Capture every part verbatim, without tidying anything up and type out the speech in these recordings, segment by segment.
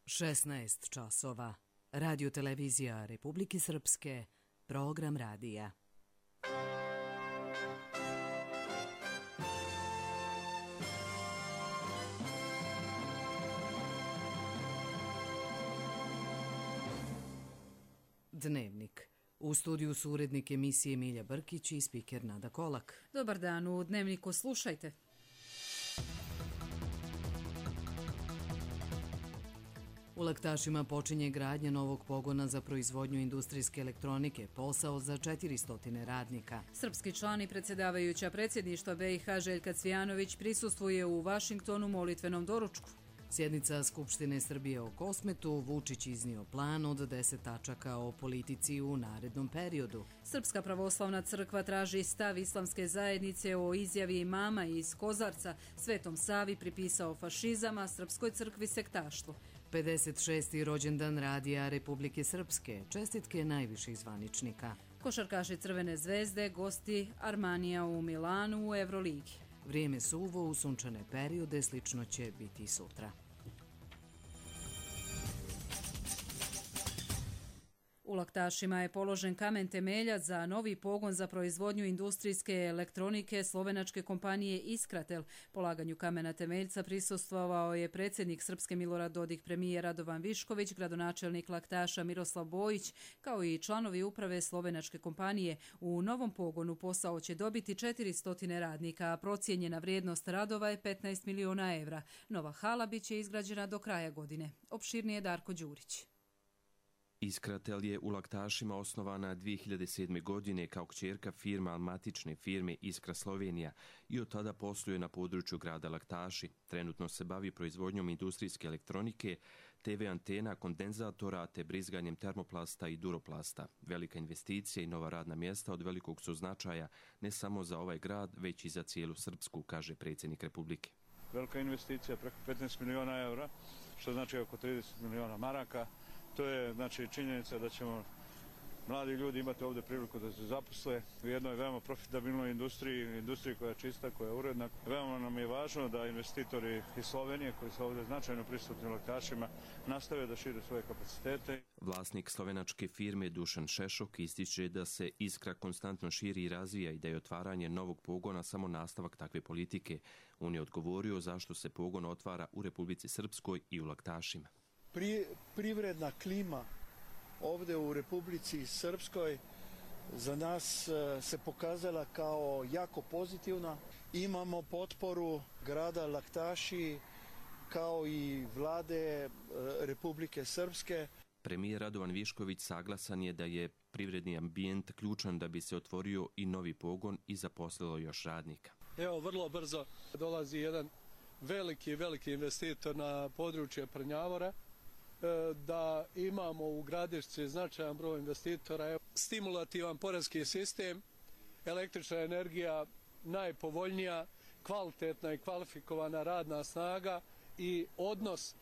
šesnaest časova. Radio televizija Republike Srpske, program radija. Dnevnik. U studiju su urednik emisije Milja Brkić i spiker Nada Kolak. Dobar dan, u Dnevniku slušajte. U Laktašima počinje gradnja novog pogona za proizvodnju industrijske elektronike, posao za četiristo radnika. Srpski član i predsjedavajuća predsjedništva B i H Željka Cvijanović prisustvuje u Vašingtonu molitvenom doručku. Sjednica Skupštine Srbije o Kosmetu, Vučić iznio plan od deset tačaka o politici u narednom periodu. Srpska pravoslavna crkva traži stav islamske zajednice o izjavi imama iz Kozarca, Svetom Savi pripisao fašizam, a Srpskoj crkvi sektaštvo. pedeset šesti rođendan Radija Republike Srpske, čestitke najviših zvaničnika. Košarkaši Crvene zvezde, gosti Armanija u Milanu u Evroligi. Vrijeme suvo, u sunčane periode, slično će biti i sutra. U Laktašima je položen kamen temeljac za novi pogon za proizvodnju industrijske elektronike slovenačke kompanije Iskratel. Polaganju kamena temeljca prisustvovao je predsjednik Srpske Milorad Dodik, premijer Radovan Višković, gradonačelnik Laktaša Miroslav Bojić, kao i članovi uprave slovenačke kompanije. U novom pogonu posao će dobiti četiristo radnika, a procijenjena vrijednost radova je petnaest miliona evra. Nova hala biće izgrađena do kraja godine. Opširnije Darko Đurić. Iskratel je u Laktašima osnovana dvije hiljade sedme. godine kao kćerka firma matične firme Iskra Slovenija i od tada posluje na području grada Laktaši. Trenutno se bavi proizvodnjom industrijske elektronike, te ve antena, kondenzatora te brizganjem termoplasta i duroplasta. Velika investicija i nova radna mjesta od velikog su značaja ne samo za ovaj grad, već i za cijelu Srpsku, kaže predsjednik Republike. Velika investicija preko petnaest miliona evra, što znači oko trideset miliona maraka. To je znači činjenica da ćemo mladi ljudi imati ovdje priliku da se zaposle u jednoj veoma profitabilnoj industriji, industriji koja je čista, koja je uredna. Veoma nam je važno da investitori iz Slovenije koji su ovdje značajno prisutni u Laktašima nastave da šire svoje kapacitete. Vlasnik slovenačke firme Dušan Šešok ističe da se Iskra konstantno širi i razvija i da je otvaranje novog pogona samo nastavak takve politike. On je odgovorio zašto se pogon otvara u Republici Srpskoj i u Laktašima. Pri, privredna klima ovdje u Republici Srpskoj za nas se pokazala kao jako pozitivna. Imamo potporu grada Laktaši kao i vlade Republike Srpske. Premijer Radovan Višković saglasan je da je privredni ambijent ključan da bi se otvorio i novi pogon i zaposlilo još radnika. Evo, vrlo brzo dolazi jedan veliki, veliki investitor na područje Prnjavora, da imamo u Gradišci značajan broj investitora, stimulativan poreski sistem, električna energija najpovoljnija, kvalitetna i kvalifikovana radna snaga i odnos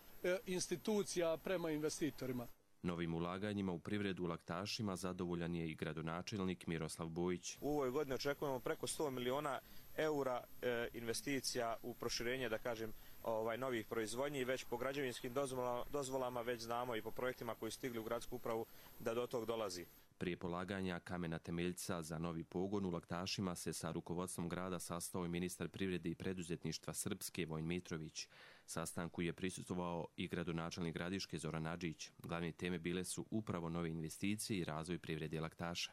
institucija prema investitorima. Novim ulaganjima u privredu u Laktašima zadovoljan je i gradonačelnik Miroslav Bojić. U ovoj godini očekujemo preko sto miliona eura e, investicija u proširenje, da kažem, ovaj, novih proizvodnji. Već po građevinskim dozvolama, dozvolama već znamo i po projektima koji stigli u gradsku upravu da do tog dolazi. Prije polaganja kamena temeljca za novi pogon u Laktašima se sa rukovodstvom grada sastao i ministar privrede i preduzetništva Srpske Vojin Mitrović. Sastanku je prisustvovao i gradonačelnik Gradiške Zoran Adžić. Glavne teme bile su upravo nove investicije i razvoj privrede Laktaša.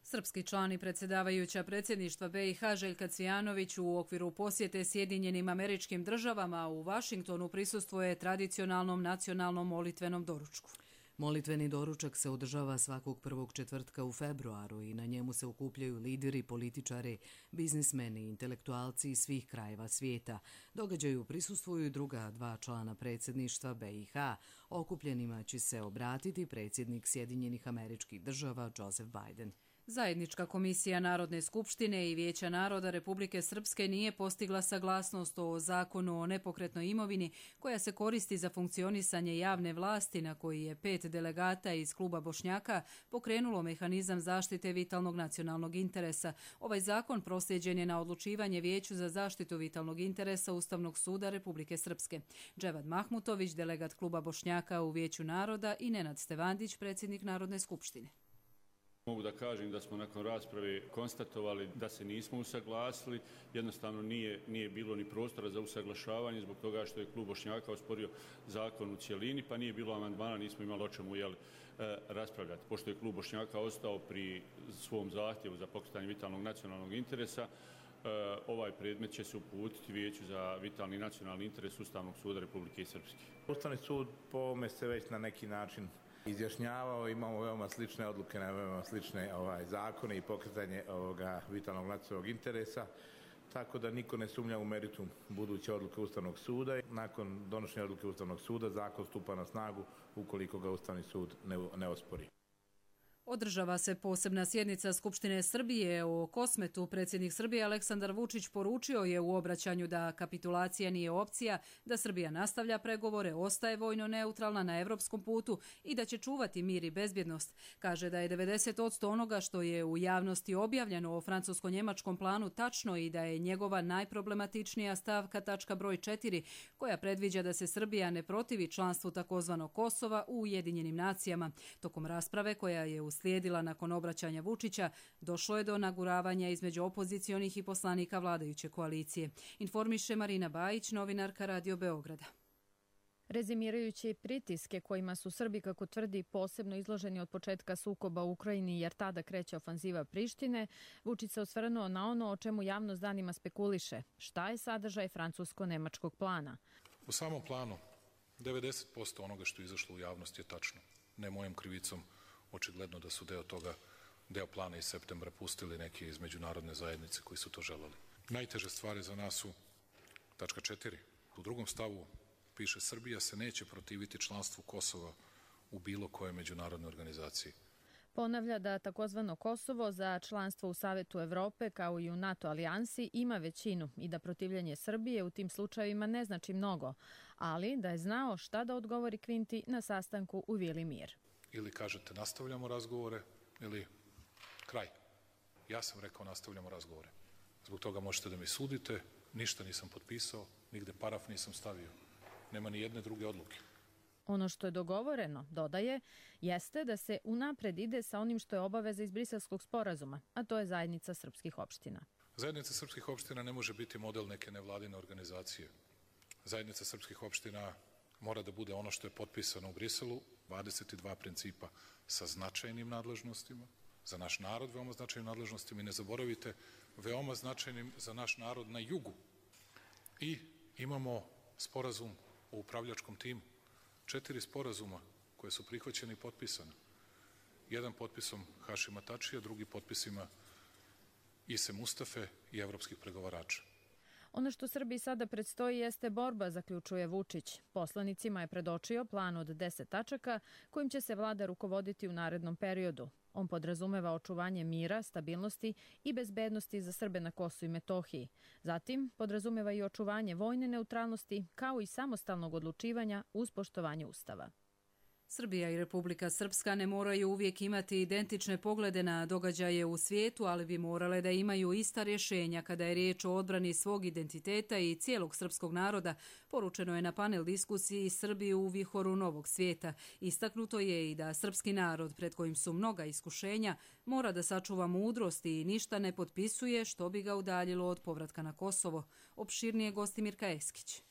Srpski član i predsjedavajuća predsjedništva B i H Željka Cvijanović u okviru posjete Sjedinjenim Američkim Državama u Vašingtonu prisustvuje tradicionalnom nacionalnom molitvenom doručku. Molitveni doručak se održava svakog prvog četvrtka u februaru i na njemu se okupljaju lideri, političari, biznismeni i intelektualci iz svih krajeva svijeta. Događaju prisustvuju i druga dva člana predsjedništva B i H. Okupljenima će se obratiti predsjednik Sjedinjenih Američkih Država Joseph Biden. Zajednička komisija Narodne skupštine i Vijeća naroda Republike Srpske nije postigla saglasnost o zakonu o nepokretnoj imovini koja se koristi za funkcionisanje javne vlasti, na koji je pet delegata iz kluba Bošnjaka pokrenulo mehanizam zaštite vitalnog nacionalnog interesa. Ovaj zakon proslijeđen je na odlučivanje Vijeću za zaštitu vitalnog interesa Ustavnog suda Republike Srpske. Dževad Mahmutović, delegat kluba Bošnjaka u Vijeću naroda, i Nenad Stevandić, predsjednik Narodne skupštine. Mogu da kažem da smo nakon rasprave konstatovali da se nismo usaglasili, jednostavno nije, nije bilo ni prostora za usaglašavanje zbog toga što je klub Bošnjaka osporio zakon u cijelini, pa nije bilo amandmana, nismo imali o čemu jel, raspravljati. Pošto je klub Bošnjaka ostao pri svom zahtjevu za pokretanje vitalnog nacionalnog interesa, ovaj predmet će se uputiti Vijeću za vitalni nacionalni interes Ustavnog suda Republike Srpske. Ustavni sud po ovome se već na neki način izjašnjavao, imamo veoma slične odluke na veoma slične ovaj, zakone i pokretanje ovoga vitalnog nacionalnog interesa, tako da niko ne sumnja u meritum buduće odluke Ustavnog suda. Nakon donošenja odluke Ustavnog suda zakon stupa na snagu ukoliko ga Ustavni sud ne, ne ospori. Održava se posebna sjednica Skupštine Srbije o Kosmetu. Predsjednik Srbije Aleksandar Vučić poručio je u obraćanju da kapitulacija nije opcija, da Srbija nastavlja pregovore, ostaje vojno neutralna na evropskom putu i da će čuvati mir i bezbjednost. Kaže da je devedeset posto onoga što je u javnosti objavljeno o francusko-njemačkom planu tačno i da je njegova najproblematičnija stavka tačka broj četiri, koja predviđa da se Srbija ne protivi članstvu takozvanog Kosova u Ujedinjenim nacijama. Tokom rasprave koja je u uslijedila nakon obraćanja Vučića, došlo je do naguravanja između opozicionih i poslanika vladajuće koalicije. Informiše Marina Bajić, novinarka Radio Beograda. Rezimirajući pritiske kojima su Srbi, kako tvrdi, posebno izloženi od početka sukoba u Ukrajini jer tada kreće ofanziva Prištine, Vučić se osvrnuo na ono o čemu javnost danima spekuliše. Šta je sadržaj francusko-nemačkog plana? U samom planu devedeset posto onoga što je izašlo u javnost je tačno. Ne mojom krivicom, očigledno da su deo toga, deo plana iz septembra pustili neki iz međunarodne zajednice koji su to želeli. Najteže stvari za nas su tačka četiri. U drugom stavu piše: Srbija se neće protiviti članstvu Kosova u bilo kojoj međunarodnoj organizaciji. Ponavlja da takozvano Kosovo za članstvo u Savetu Evrope kao i u NATO alijansi ima većinu i da protivljenje Srbije u tim slučajevima ne znači mnogo, ali da je znao šta da odgovori Kvinti na sastanku u Vili Mir. Ili kažete nastavljamo razgovore ili kraj. Ja sam rekao nastavljamo razgovore. Zbog toga možete da mi sudite, ništa nisam potpisao, nigde paraf nisam stavio. Nema ni jedne druge odluke. Ono što je dogovoreno, dodaje, jeste da se unapred ide sa onim što je obaveza iz Briselskog sporazuma, a to je zajednica srpskih opština. Zajednica srpskih opština ne može biti model neke nevladine organizacije. Zajednica srpskih opština mora da bude ono što je potpisano u Briselu, dvadeset dva principa sa značajnim nadležnostima, za naš narod veoma značajnim nadležnostima i ne zaboravite, veoma značajnim za naš narod na jugu. I imamo sporazum o upravljačkom timu, četiri sporazuma koje su prihvaćene i potpisane. Jedan potpisom Hašima Tačija, drugi potpisima Ise Mustafe i evropskih pregovarača. Ono što Srbiji sada predstoji jeste borba, zaključuje Vučić. Poslanicima je predočio plan od deset tačaka kojim će se vlada rukovoditi u narednom periodu. On podrazumeva očuvanje mira, stabilnosti i bezbednosti za Srbe na Kosovu i Metohiji. Zatim podrazumeva i očuvanje vojne neutralnosti kao i samostalnog odlučivanja uz poštovanje Ustava. Srbija i Republika Srpska ne moraju uvijek imati identične poglede na događaje u svijetu, ali bi morale da imaju ista rješenja kada je riječ o odbrani svog identiteta i cijelog srpskog naroda, poručeno je na panel diskusiji Srbiju u vihoru novog svijeta. Istaknuto je i da srpski narod, pred kojim su mnoga iskušenja, mora da sačuva mudrost i ništa ne potpisuje što bi ga udaljilo od povratka na Kosovo. Opširnije gosti Mirka Eskić.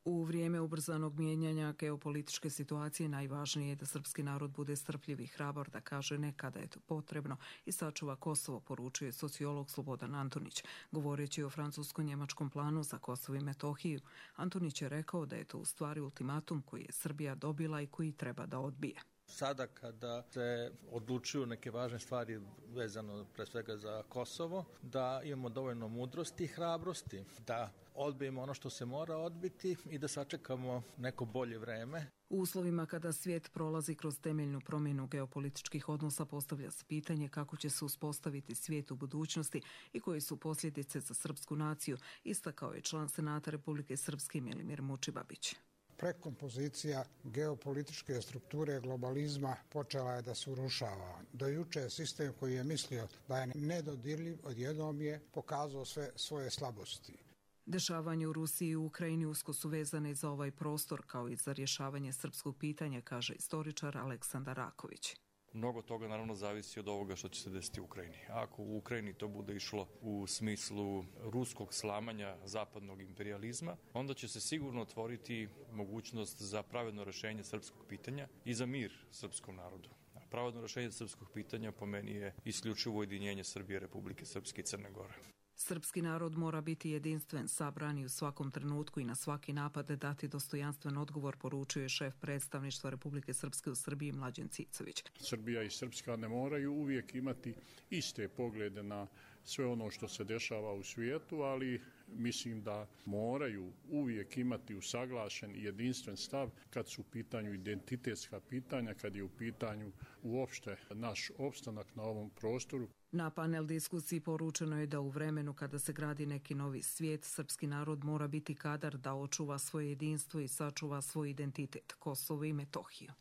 U vrijeme ubrzanog mijenjanja geopolitičke situacije najvažnije je da srpski narod bude strpljiv i hrabar, da kaže ne kada je to potrebno i sačuva Kosovo, poručuje sociolog Slobodan Antonić. Govoreći o francusko-njemačkom planu za Kosovo i Metohiju, Antonić je rekao da je to u stvari ultimatum koji je Srbija dobila i koji treba da odbije. Sada kada se odlučuju neke važne stvari vezano pre svega za Kosovo, da imamo dovoljno mudrosti i hrabrosti, da odbijemo ono što se mora odbiti i da sačekamo neko bolje vreme. U uslovima kada svijet prolazi kroz temeljnu promjenu geopolitičkih odnosa, postavlja se pitanje kako će se uspostaviti svijet u budućnosti i koje su posljedice za srpsku naciju, istakao je član Senata Republike Srpske Milimir Mučibabić. Prekompozicija geopolitičke strukture globalizma počela je da se urušava. Do juče sistem koji je mislio da je nedodirljiv, odjednom je pokazao sve svoje slabosti. Dešavanje u Rusiji i Ukrajini usko su vezane za ovaj prostor kao i za rješavanje srpskog pitanja, kaže istoričar Aleksandar Raković. Mnogo toga naravno zavisi od ovoga što će se desiti u Ukrajini. Ako u Ukrajini to bude išlo u smislu ruskog slamanja zapadnog imperializma, onda će se sigurno otvoriti mogućnost za pravedno rješenje srpskog pitanja i za mir srpskom narodu. Pravedno rješenje srpskog pitanja po meni je isključivo ujedinjenje Srbije, Republike Srpske i Crne Gore. Srpski narod mora biti jedinstven, sabran i u svakom trenutku i na svaki napad dati dostojanstven odgovor, poručuje šef predstavništva Republike Srpske u Srbiji Mlađan Cicović. Srbija i Srpska ne moraju uvijek imati iste poglede na sve ono što se dešava u svijetu, ali mislim da moraju uvijek imati usaglašen i jedinstven stav kad su u pitanju identitetska pitanja, kad je u pitanju uopšte naš opstanak na ovom prostoru. Na panel diskusiji poručeno je da u vremenu kada se gradi neki novi svijet, srpski narod mora biti kadar da očuva svoje jedinstvo i sačuva svoj identitet, Kosovo i Metohiju.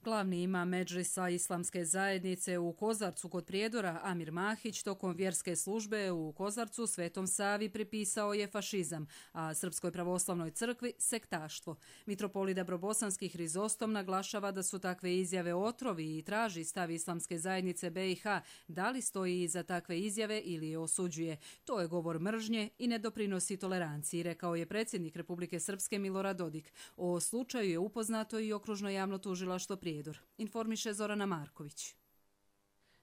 Glavni imam Medžlisa Islamske zajednice u Kozarcu kod Prijedora, Amir Mahić, tokom vjerske službe u Kozarcu Svetom Savi pripisao je fašizam, a Srpskoj pravoslavnoj crkvi sektaštvo. Mitropolit Dabrobosanski Hrizostom naglašava da su takve izjave otrovi i traži stav Islamske zajednice B i H da li stoji iza takve izjave ili je osuđuje. To je govor mržnje i ne doprinosi toleranciji, rekao je predsjednik Republike Srpske Milorad Dodik. O slučaju je upoznato i okružno javno tužilaštvo Prijedor. Informiše Zorana Marković.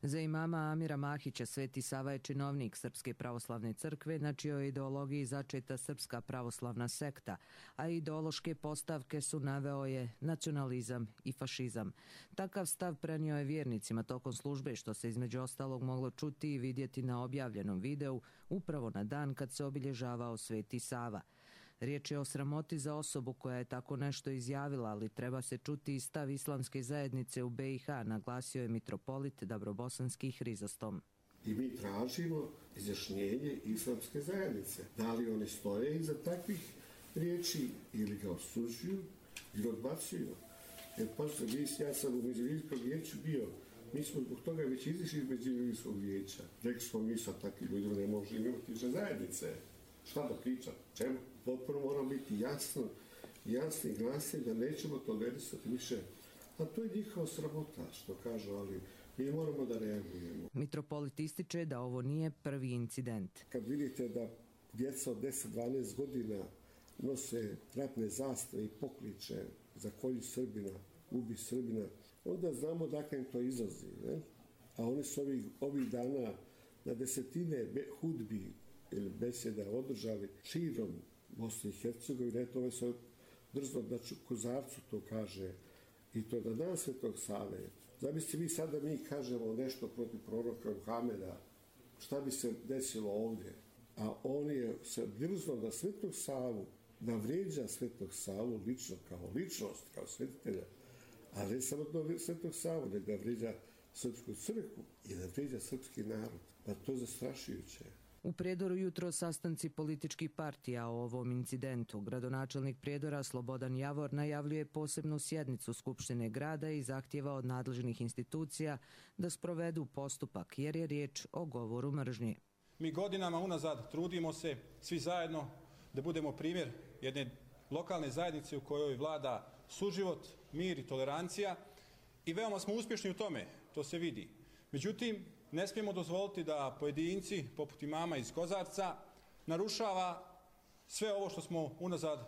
Za imama Amira Mahića Sveti Sava je činovnik Srpske pravoslavne crkve, na čijoj ideologiji začeta Srpska pravoslavna sekta, a ideološke postavke su naveo je nacionalizam i fašizam. Takav stav prenio je vjernicima tokom službe, što se između ostalog moglo čuti i vidjeti na objavljenom videu upravo na dan kad se obilježavao Sveti Sava. Riječ je o sramoti za osobu koja je tako nešto izjavila, ali treba se čuti i stav Islamske zajednice u B i H, naglasio je mitropolit Dabrobosanski Hrizostom. I mi tražimo izjašnjenje Islamske zajednice. Da li oni stoje iza takvih riječi ili ga osuđuju ili odbacuju. Jer pošto ja sam u Međuljivijskom vijeću bio, mi smo zbog toga već izišli iz Međuljivijskog vijeća. Rekli smo mi sa takvim ljudima ne možemo imati više zajednice. Šta da pričam? Čemu? Potpuno moramo biti jasno, jasni i glasni da nećemo tolerisati više. A to je njihova sramota, što kažu, ali mi moramo da reagujemo. Mitropolit ističe da ovo nije prvi incident. Kad vidite da djeca od deset do dvanaest godina nose ratne zastave i pokliče za kolju Srbina, ubi Srbina, onda znamo dakle im to izlazi. Ne? A oni su ovih, ovih dana na desetine hudbi ili besjeda održali širom Bosne i Hercegovine. Eto, ovaj se drzno da Kozarcu to kaže i to da dan Svetog Save. Zamislite vi sad da mi kažemo nešto protiv proroka Muhameda, šta bi se desilo ovdje? A on je se drzno da Svetog Savu, da vrijeđa Svetog Savu lično, kao ličnost, kao svetitelja, ali ne samo da Svetog Savu, nego da vrijeđa Srpsku crkvu i da vrijeđa srpski narod. Pa to je zastrašujuće. U Prijedoru jutro sastanci političkih partija o ovom incidentu. Gradonačelnik Prijedora Slobodan Javor najavljuje posebnu sjednicu Skupštine grada i zahtjeva od nadležnih institucija da sprovedu postupak jer je riječ o govoru mržnje. Mi godinama unazad trudimo se svi zajedno da budemo primjer jedne lokalne zajednice u kojoj vlada suživot, mir i tolerancija i veoma smo uspješni u tome, to se vidi. Međutim, ne smijemo dozvoliti da pojedinci, poput imama iz Kozarca, narušava sve ovo što smo unazad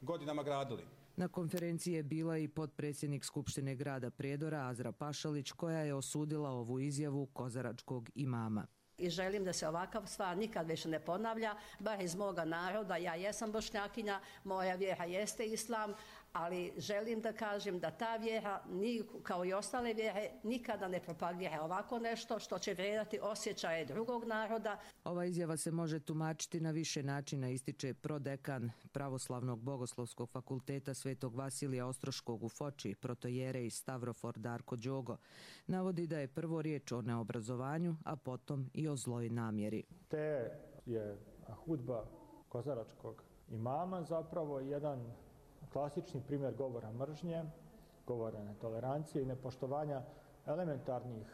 godinama gradili. Na konferenciji je bila i potpredsjednik Skupštine grada Prijedora Azra Pašalić, koja je osudila ovu izjavu kozaračkog imama. I želim da se ovakav stvar nikad više ne ponavlja, bar iz moga naroda. Ja jesam Bošnjakinja, moja vjera jeste islam, ali želim da kažem da ta vjera, kao i ostale vjere, nikada ne propagira ovako nešto što će vrijedati osjećaje drugog naroda. Ova izjava se može tumačiti na više načina, ističe prodekan Pravoslavnog bogoslovskog fakulteta Svetog Vasilija Ostroškog u Foči, protojerej Stavrofor Darko Đogo. Navodi da je prvo riječ o neobrazovanju, a potom i o zloj namjeri. Te je hudba kozaračkog imama zapravo jedan klasični primjer govora mržnje, govora netolerancije i nepoštovanja elementarnih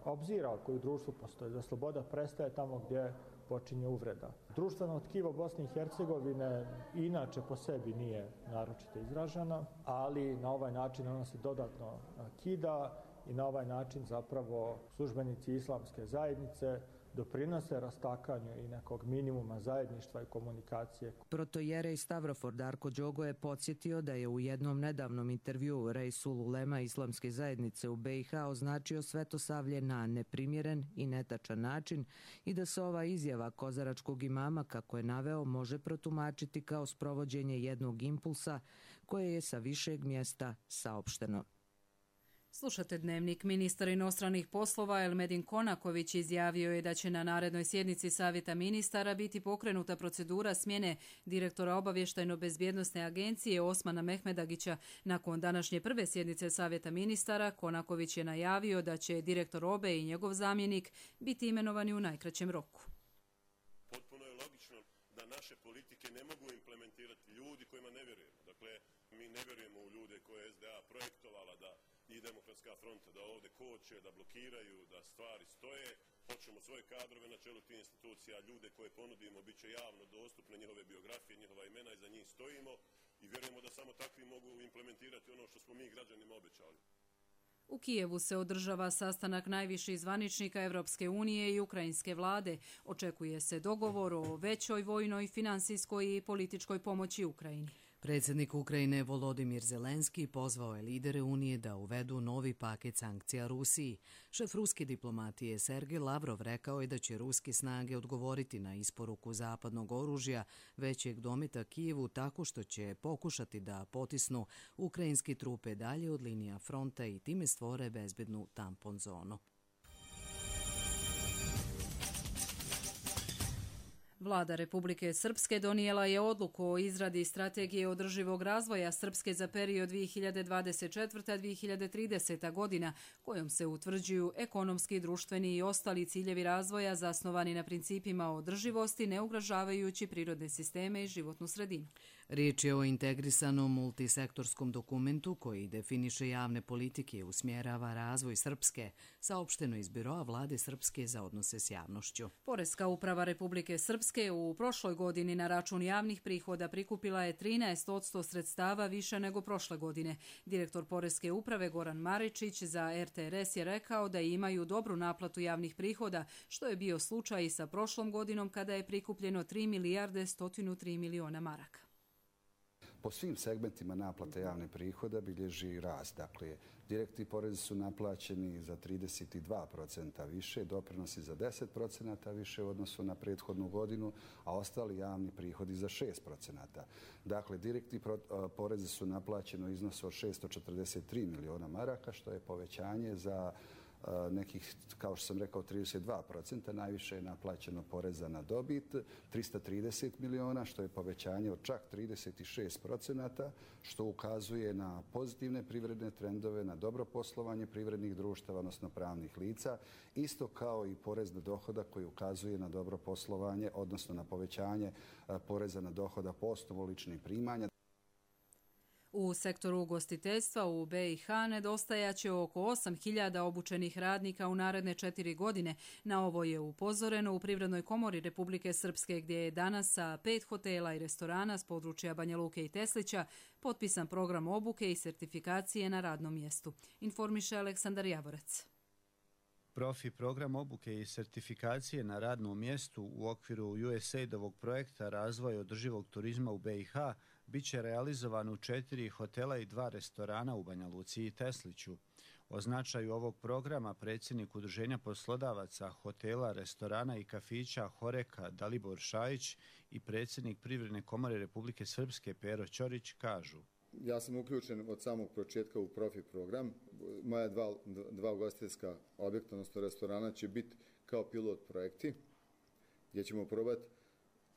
obzira koji u društvu postoje. Da sloboda prestaje tamo gdje počinje uvreda. Društveno tkivo Bosne i Hercegovine inače po sebi nije naročito izraženo, ali na ovaj način ona se dodatno kida i na ovaj način zapravo službenici islamske zajednice doprinose rastakanju i nekog minimuma zajedništva i komunikacije. Protojerej Stavrofor Darko Đogo je podsjetio da je u jednom nedavnom intervjuu Reisul Ulema islamske zajednice u B i H označio Svetosavlje na neprimjeren i netačan način i da se ova izjava kozaračkog imama, kako je naveo, može protumačiti kao sprovođenje jednog impulsa koje je sa višeg mjesta saopšteno. Slušate Dnevnik. Ministar inostranih poslova Elmedin Konaković izjavio je da će na narednoj sjednici Savjeta ministara biti pokrenuta procedura smjene direktora obavještajno-bezbjednosne agencije Osmana Mehmedagića. Nakon današnje prve sjednice Savjeta ministara, Konaković je najavio da će direktor O B E i njegov zamjenik biti imenovani u najkraćem roku. Potpuno je logično da naše politike ne mogu implementirati ljudi kojima ne vjerujemo. Dakle, mi ne vjerujemo u ljude koje je S D A projektovala da i Demokratska fronta da ovdje koče, da blokiraju, da stvari stoje. Hoćemo svoje kadrove na čelu tih institucija, ljude koje ponudimo, bit će javno dostupne njihove biografije, njihova imena i za njih stojimo i vjerujemo da samo takvi mogu implementirati ono što smo mi građanima obećali. U Kijevu se održava sastanak najviših zvaničnika Evropske unije i ukrajinske vlade. Očekuje se dogovor o većoj vojnoj, finansijskoj i političkoj pomoći Ukrajini. Predsjednik Ukrajine Volodimir Zelenski pozvao je lidere Unije da uvedu novi paket sankcija Rusiji. Šef ruske diplomatije Sergej Lavrov rekao je da će ruske snage odgovoriti na isporuku zapadnog oružja većeg dometa Kijevu tako što će pokušati da potisnu ukrajinske trupe dalje od linija fronta i time stvore bezbednu tampon zonu. Vlada Republike Srpske donijela je odluku o izradi strategije održivog razvoja Srpske za period dvije hiljade dvadeset četvrta do dvije hiljade trideseta godina, kojom se utvrđuju ekonomski, društveni i ostali ciljevi razvoja zasnovani na principima održivosti, ne ugrožavajući prirodne sisteme i životnu sredinu. Riječ je o integrisanom multisektorskom dokumentu koji definiše javne politike i usmjerava razvoj Srpske, saopšteno iz Biroa Vlade Srpske za odnose s javnošću. Poreska uprava Republike Srpske u prošloj godini na račun javnih prihoda prikupila je trinaest posto sredstava više nego prošle godine. Direktor Poreske uprave Goran Maričić za R T R S je rekao da imaju dobru naplatu javnih prihoda, što je bio slučaj i sa prošlom godinom kada je prikupljeno tri milijarde sto tri miliona maraka. Po svim segmentima naplate javne prihoda bilježi rast. Dakle, direktni porezi su naplaćeni za trideset dva posto više, doprinosi za deset posto više u odnosu na prethodnu godinu, a ostali javni prihodi za šest posto. Dakle, direktni porezi su naplaćeni u iznosu od šesto četrdeset tri miliona maraka, što je povećanje za nekih, kao što sam rekao, trideset dva posto, najviše je naplaćeno poreza na dobit, trista trideset miliona, što je povećanje od čak trideset šest posto, što ukazuje na pozitivne privredne trendove, na dobro poslovanje privrednih društava, odnosno pravnih lica, isto kao i porez na dohodak koji ukazuje na dobro poslovanje, odnosno na povećanje poreza na dohodak po osnovu ličnih primanja. U sektoru ugostiteljstva u B i H nedostajaće oko osam hiljada obučenih radnika u naredne četiri godine. Na ovo je upozoreno u Privrednoj komori Republike Srpske, gdje je danas sa pet hotela i restorana s područja Banja Luke i Teslića potpisan program obuke i sertifikacije na radnom mjestu. Informiše Aleksandar Javorec. Profi program obuke i sertifikacije na radnom mjestu u okviru U S A I D-ovog projekta razvoja održivog turizma u B i H bit će realizovan u četiri hotela i dva restorana u Banja Luci i Tesliću. O značaju ovog programa predsjednik Udruženja poslodavaca hotela, restorana i kafića Horeka Dalibor Šajić i predsjednik Privredne komore Republike Srpske Pero Ćorić kažu. Ja sam uključen od samog početka u profi program. Moja dva, dva ugostiteljska objekta, odnosno restorana, će biti kao pilot projekti, gdje ćemo probati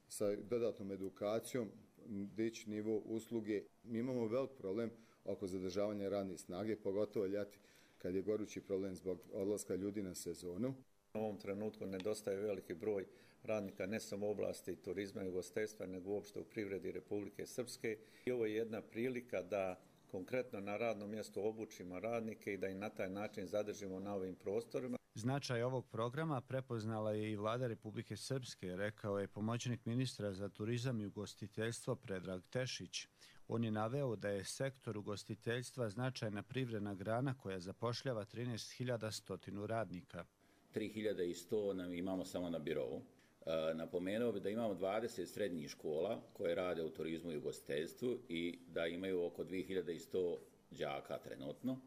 sa dodatnom edukacijom dići nivo usluge. Mi imamo velik problem oko zadržavanja radne snage, pogotovo ljeti kad je gorući problem zbog odlaska ljudi na sezonu. U ovom trenutku nedostaje veliki broj radnika ne samo u oblasti turizma i ugostiteljstva, nego uopšte u privredi Republike Srpske. I ovo je jedna prilika da konkretno na radnom mjestu obučimo radnike i da ih na taj način zadržimo na ovim prostorima. Značaj ovog programa prepoznala je i vlada Republike Srpske, rekao je pomoćnik ministra za turizam i ugostiteljstvo Predrag Tešić. On je naveo da je sektor ugostiteljstva značajna privredna grana koja zapošljava trinaest hiljada sto radnika. tri hiljade sto nam imamo samo na birovu. E, napomenuo bi da imamo dvadeset srednjih škola koje rade u turizmu i ugostiteljstvu i da imaju oko dvije hiljade sto đaka trenutno.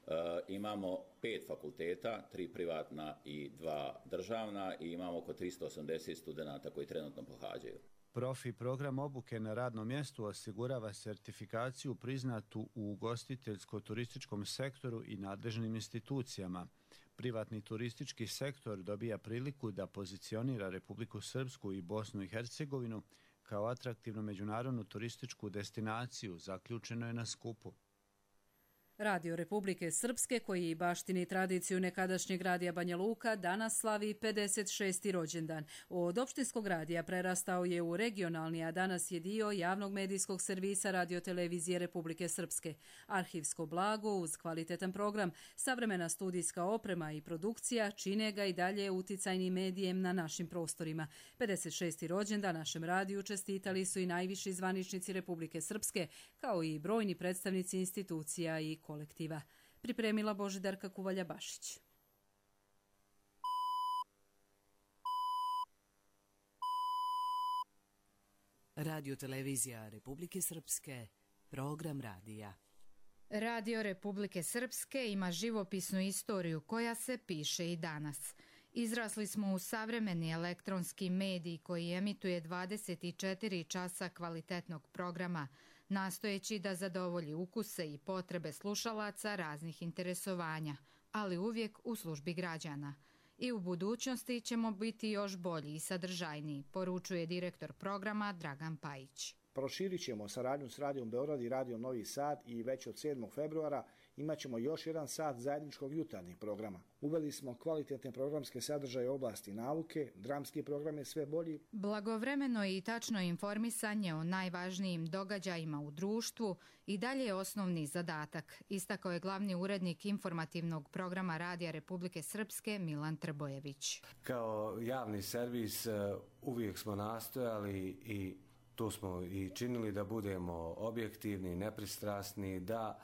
E, imamo pet fakulteta, tri privatna i dva državna i imamo oko tristo osamdeset studenata koji trenutno pohađaju. Profi program obuke na radnom mjestu osigurava sertifikaciju priznatu u ugostiteljsko-turističkom sektoru i nadležnim institucijama. Privatni turistički sektor dobija priliku da pozicionira Republiku Srpsku i Bosnu i Hercegovinu kao atraktivnu međunarodnu turističku destinaciju, zaključeno je na skupu. Radio Republike Srpske, koji baštini tradiciju nekadašnjeg radija Banja Luka, danas slavi pedeset šesti rođendan. Od opštinskog radija prerastao je u regionalni, a danas je dio javnog medijskog servisa radiotelevizije Republike Srpske. Arhivsko blago uz kvalitetan program, savremena studijska oprema i produkcija čine ga i dalje uticajnim medijem na našim prostorima. pedeset šesti rođendan našem radiju čestitali su i najviši zvaničnici Republike Srpske, kao i brojni predstavnici institucija i kolektiva. Pripremila Božidarka Kuvalja-Bašić. Radio televizija Republike Srpske, program radija. Radio Republike Srpske ima živopisnu istoriju koja se piše i danas. Izrasli smo u savremeni elektronski medij koji emituje dvadeset četiri časa kvalitetnog programa, nastojeći da zadovolji ukuse i potrebe slušalaca raznih interesovanja, ali uvijek u službi građana. I u budućnosti ćemo biti još bolji i sadržajniji, poručuje direktor programa Dragan Pajić. Proširit ćemo saradnju s Radijom Beograd i Radijom Novi Sad i već od sedmog februara imat ćemo još jedan sat zajedničkog jutarnjeg programa. Uveli smo kvalitetne programske sadržaje u oblasti nauke, dramski program je sve bolji. Blagovremeno i tačno informisanje o najvažnijim događajima u društvu i dalje je osnovni zadatak, istakao je glavni urednik informativnog programa Radija Republike Srpske Milan Trbojević. Kao javni servis uvijek smo nastojali i to smo i činili da budemo objektivni, nepristrasni, da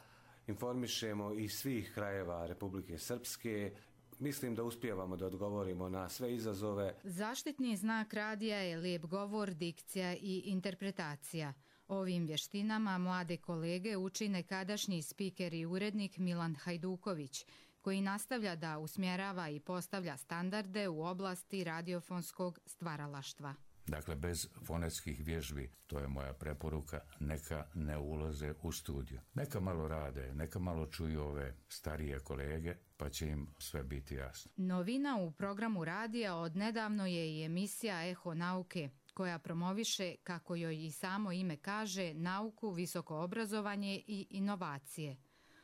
informišemo iz svih krajeva Republike Srpske. Mislim da uspijevamo da odgovorimo na sve izazove. Zaštitni znak radija je lijep govor, dikcija i interpretacija. Ovim vještinama mlade kolege uči nekadašnji spiker i urednik Milan Hajduković, koji nastavlja da usmjerava i postavlja standarde u oblasti radiofonskog stvaralaštva. Dakle, bez fonetskih vježbi, to je moja preporuka, neka ne ulaze u studiju. Neka malo rade, neka malo čuju ove starije kolege, pa će im sve biti jasno. Novina u programu radija od nedavno je i emisija Eho nauke, koja promoviše, kako joj i samo ime kaže, nauku, visoko obrazovanje i inovacije.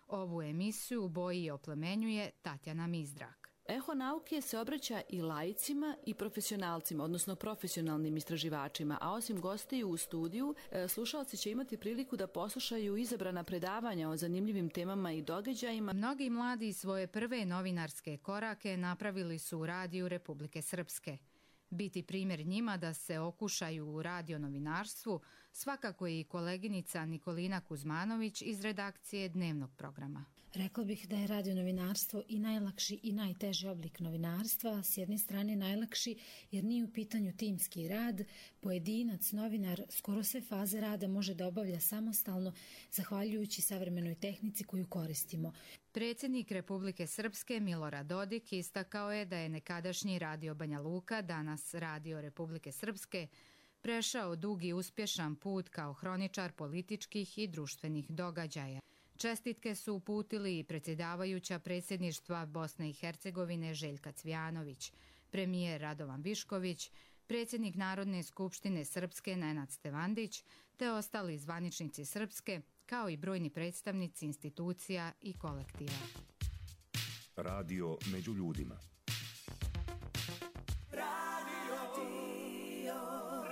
Ovu emisiju boji i oplemenjuje Tatjana Mizdrak. Eho nauke se obraća i laicima i profesionalcima, odnosno profesionalnim istraživačima, a osim gostiju u studiju, slušalci će imati priliku da poslušaju izabrana predavanja o zanimljivim temama i događajima. Mnogi mladi svoje prve novinarske korake napravili su u Radiju Republike Srpske. Biti primjer njima da se okušaju u radionovinarstvu svakako je i koleginica Nikolina Kuzmanović iz redakcije dnevnog programa. Rekla bih da je radionovinarstvo i najlakši i najteži oblik novinarstva. S jedne strane najlakši jer nije u pitanju timski rad. Pojedinac, novinar, skoro sve faze rada može da obavlja samostalno, zahvaljujući savremenoj tehnici koju koristimo. Predsjednik Republike Srpske Milorad Dodik istakao je da je nekadašnji Radio Banja Luka, danas Radio Republike Srpske, prešao dugi uspješan put kao hroničar političkih i društvenih događaja. Čestitke su uputili i predsjedavajuća predsjedništva Bosne i Hercegovine Željka Cvijanović, premijer Radovan Višković, predsjednik Narodne skupštine Srpske Nenad Stevandić, te ostali zvaničnici Srpske, kao i brojni predstavnici institucija i kolektiva. Radio među ljudima. Radio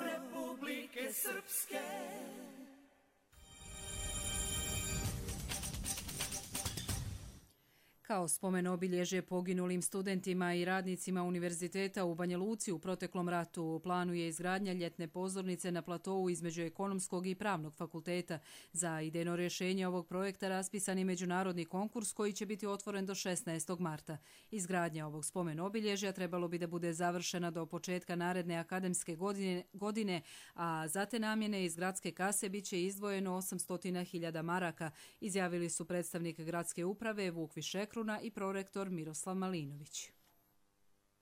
Republike Srpske. Kao spomen obilježje poginulim studentima i radnicima Univerziteta u Banja Luci u proteklom ratu u planu je izgradnja ljetne pozornice na platovu između Ekonomskog i Pravnog fakulteta. Za idejno rješenje ovog projekta raspisan je međunarodni konkurs koji će biti otvoren do šesnaestog marta. Izgradnja ovog spomen obilježja trebalo bi da bude završena do početka naredne akademske godine, godine a za te namjene iz gradske kase bit će izdvojeno osamsto hiljada maraka, izjavili su predstavnik gradske uprave Vuk Višekru i prorektor Miroslav Malinović.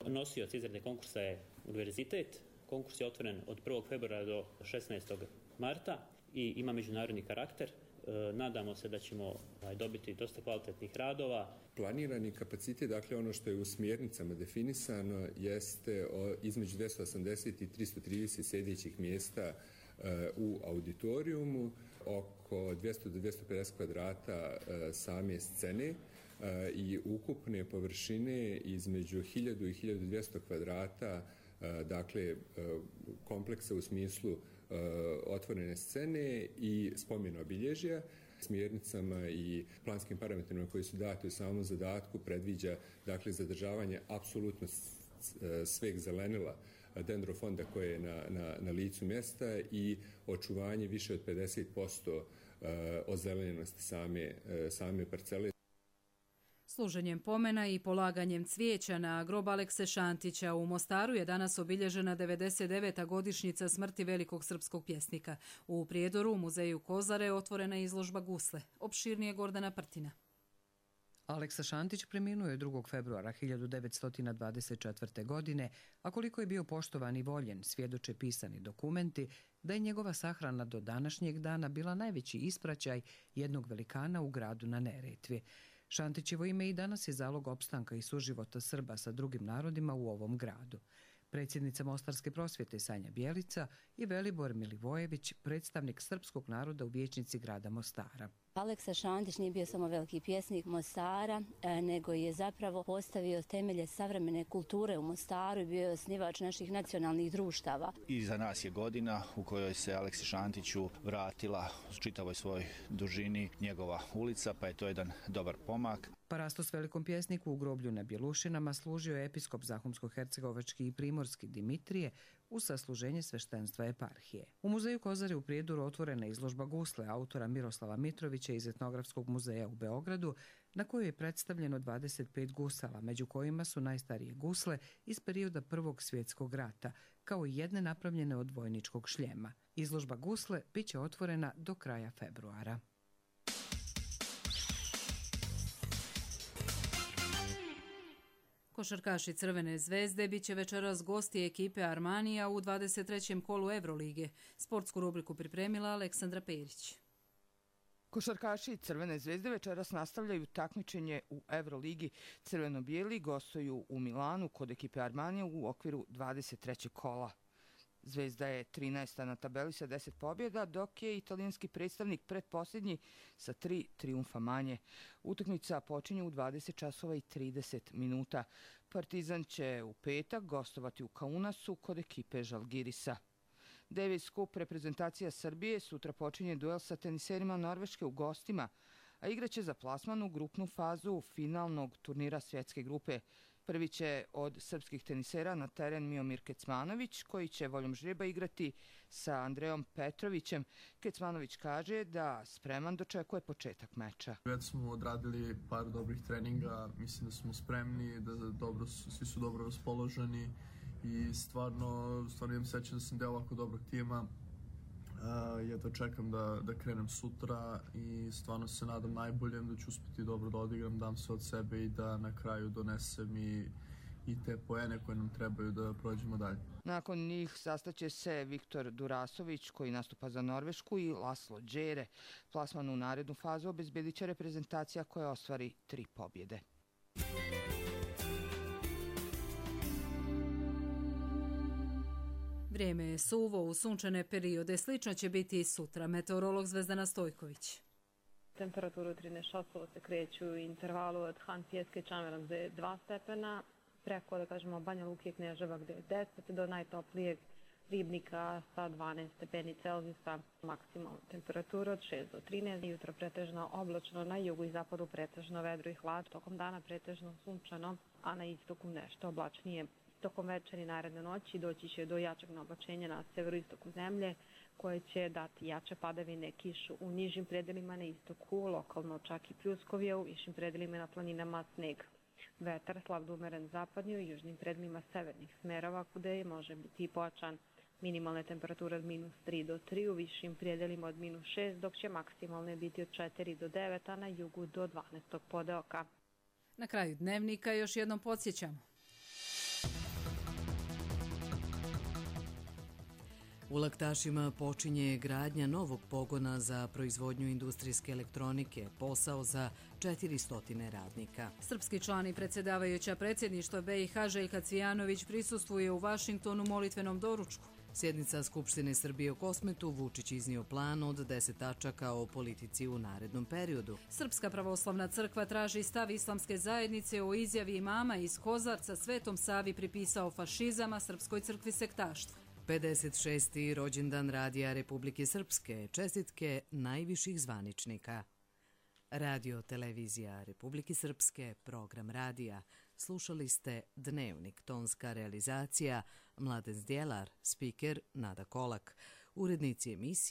Nosioc izrade konkursa je univerzitet. Konkurs je otvoren od prvog februara do šesnaestog marta i ima međunarodni karakter. Nadamo se da ćemo dobiti dosta kvalitetnih radova. Planirani kapacitet, dakle ono što je u smjernicama definisano, jeste između dvjesto osamdeset i tristo trideset sjedećih mjesta u auditorijumu, oko dvjesto do dvjesto pedeset kvadrata same scene i ukupne površine između hiljadu i hiljadu dvjesto kvadrata, dakle kompleksa u smislu otvorene scene i spomen obilježja. Smjernicama i planskim parametrima koji su dati u samom zadatku predviđa dakle zadržavanje apsolutno sveg zelenila dendrofonda koje je na, na, na licu mjesta i očuvanje više od pedeset posto ozelenjenosti same, same parcele. Služenjem pomena i polaganjem cvijeća na grob Alekse Šantića u Mostaru je danas obilježena devedeset deveta godišnjica smrti velikog srpskog pjesnika. U Prijedoru u muzeju Kozare otvorena je izložba gusle. Opširnije Gordana Prtina. Aleksa Šantić preminuo je drugog februara hiljadu devetsto dvadeset četvrte. godine, a koliko je bio poštovan i voljen, svjedoče pisani dokumenti da je njegova sahrana do današnjeg dana bila najveći ispraćaj jednog velikana u gradu na Neretvi. Šantićevo ime i danas je zalog opstanka i suživota Srba sa drugim narodima u ovom gradu. Predsjednica Mostarske prosvjete Sanja Bjelica i Velibor Milivojević, predstavnik srpskog naroda u vijećnici grada Mostara. Aleksa Šantić nije bio samo veliki pjesnik Mostara, nego je zapravo postavio temelje savremene kulture u Mostaru i bio je osnivač naših nacionalnih društava. Iza nas je godina u kojoj se Aleksi Šantiću vratila u čitavoj svoj dužini njegova ulica, pa je to jedan dobar pomak. Parastos velikom pjesniku u groblju na Bjelušinama služio je episkop Zahumsko-hercegovački i primorski Dimitrije u sasluženje sveštenstva eparhije. U muzeju Kozare u Prijedoru otvorena izložba gusle autora Miroslava Mitrovića iz Etnografskog muzeja u Beogradu, na kojoj je predstavljeno dvadeset pet gusala, među kojima su najstarije gusle iz perioda Prvog svjetskog rata, kao i jedne napravljene od vojničkog šljema. Izložba gusle bit će otvorena do kraja februara. Košarkaši Crvene zvezde bit će večeras gosti ekipe Armanija u dvadeset trećem kolu Evrolige. Sportsku rubriku pripremila Aleksandra Perić. Košarkaši Crvene zvezde večeras nastavljaju takmičenje u Evroligi. Crveno-bijeli gostuju u Milanu kod ekipe Armanija u okviru dvadeset trećeg kola. Zvezda je trinaesta na tabeli sa deset pobjeda, dok je italijanski predstavnik pretposljednji sa tri trijumfa manje. Utakmica počinje u dvadeset časova i trideset minuta. Partizan će u petak gostovati u Kaunasu kod ekipe Žalgirisa. Davis Cup reprezentacija Srbije sutra počinje duel sa teniserima Norveške u gostima, a igraće za plasman u grupnu fazu finalnog turnira svjetske grupe. Prvi će od srpskih tenisera na teren Miomir Kecmanović, koji će voljom žreba igrati sa Andrejom Petrovićem. Kecmanović kaže da spreman dočekuje početak meča. Već smo odradili par dobrih treninga, mislim da smo spremni, da dobro, svi su dobro raspoloženi i stvarno, stvarno imam srećan da sam deo ovako dobrog tima. Uh, ja to čekam da, da krenem sutra i stvarno se nadam najboljem da ću uspjeti dobro da odigram, dam sve od sebe i da na kraju donesem i, i te poene koje nam trebaju da prođemo dalje. Nakon njih sastaće se Viktor Durasović koji nastupa za Norvešku i Laslo Đere. Plasman u narednu fazu obezbedit će reprezentacija koja ostvari tri pobjede. Vrijeme je suvo, u sunčane periode slično će biti i sutra. Meteorolog Zvezdana Stojković. Temperatura u trinaest časova se kreću u intervalu od Han Pjeske i Čameran gde je dva stepena, preko, da kažemo, Banja Luke i Kneževa gde je deset, do najtoplijeg Ribnika sa dvanaest stepeni Celzijusa, maksimalna temperatura od šest do trinaest, jutro pretežno oblačno, na jugu i zapadu pretežno vedro i hlad, tokom dana pretežno sunčano, a na istoku nešto oblačnije. Tokom večeri naredne noći doći će do jačeg naoblačenja na severoistoku zemlje, koje će dati jače padavine, kišu u nižim predelima na istoku, lokalno čak i pljuskovje, u višim predelima na planinama sneg. Vetar slab do umeren zapadnju i južnim predelima severnih smerova, kude može biti pojačan. Minimalne temperature od minus tri do tri, u višim predelima od minus šest, dok će maksimalne biti od četiri do devet, a na jugu do dvanaest podeoka. Na kraju dnevnika još jednom podsjećamo. U Laktašima počinje gradnja novog pogona za proizvodnju industrijske elektronike, posao za četiristo radnika. Srpski član i predsjedavajuća predsjedništva B i H Željka Cvijanović prisustvuje u Vašingtonu molitvenom doručku. Sjednica Skupštine Srbije u Kosmetu, Vučić iznio plan od deset tačaka o politici u narednom periodu. Srpska pravoslavna crkva traži stav islamske zajednice o izjavi imama iz Kozarca Svetom Savi pripisao fašizama Srpskoj crkvi sektaštva. pedeset šesti rođendan Radija Republike Srpske, čestitke najviših zvaničnika. Radio Televizija Republike Srpske, program radija. Slušali ste Dnevnik, tonska realizacija, Mladen Zdjelar, spiker Nada Kolak, urednici emisije.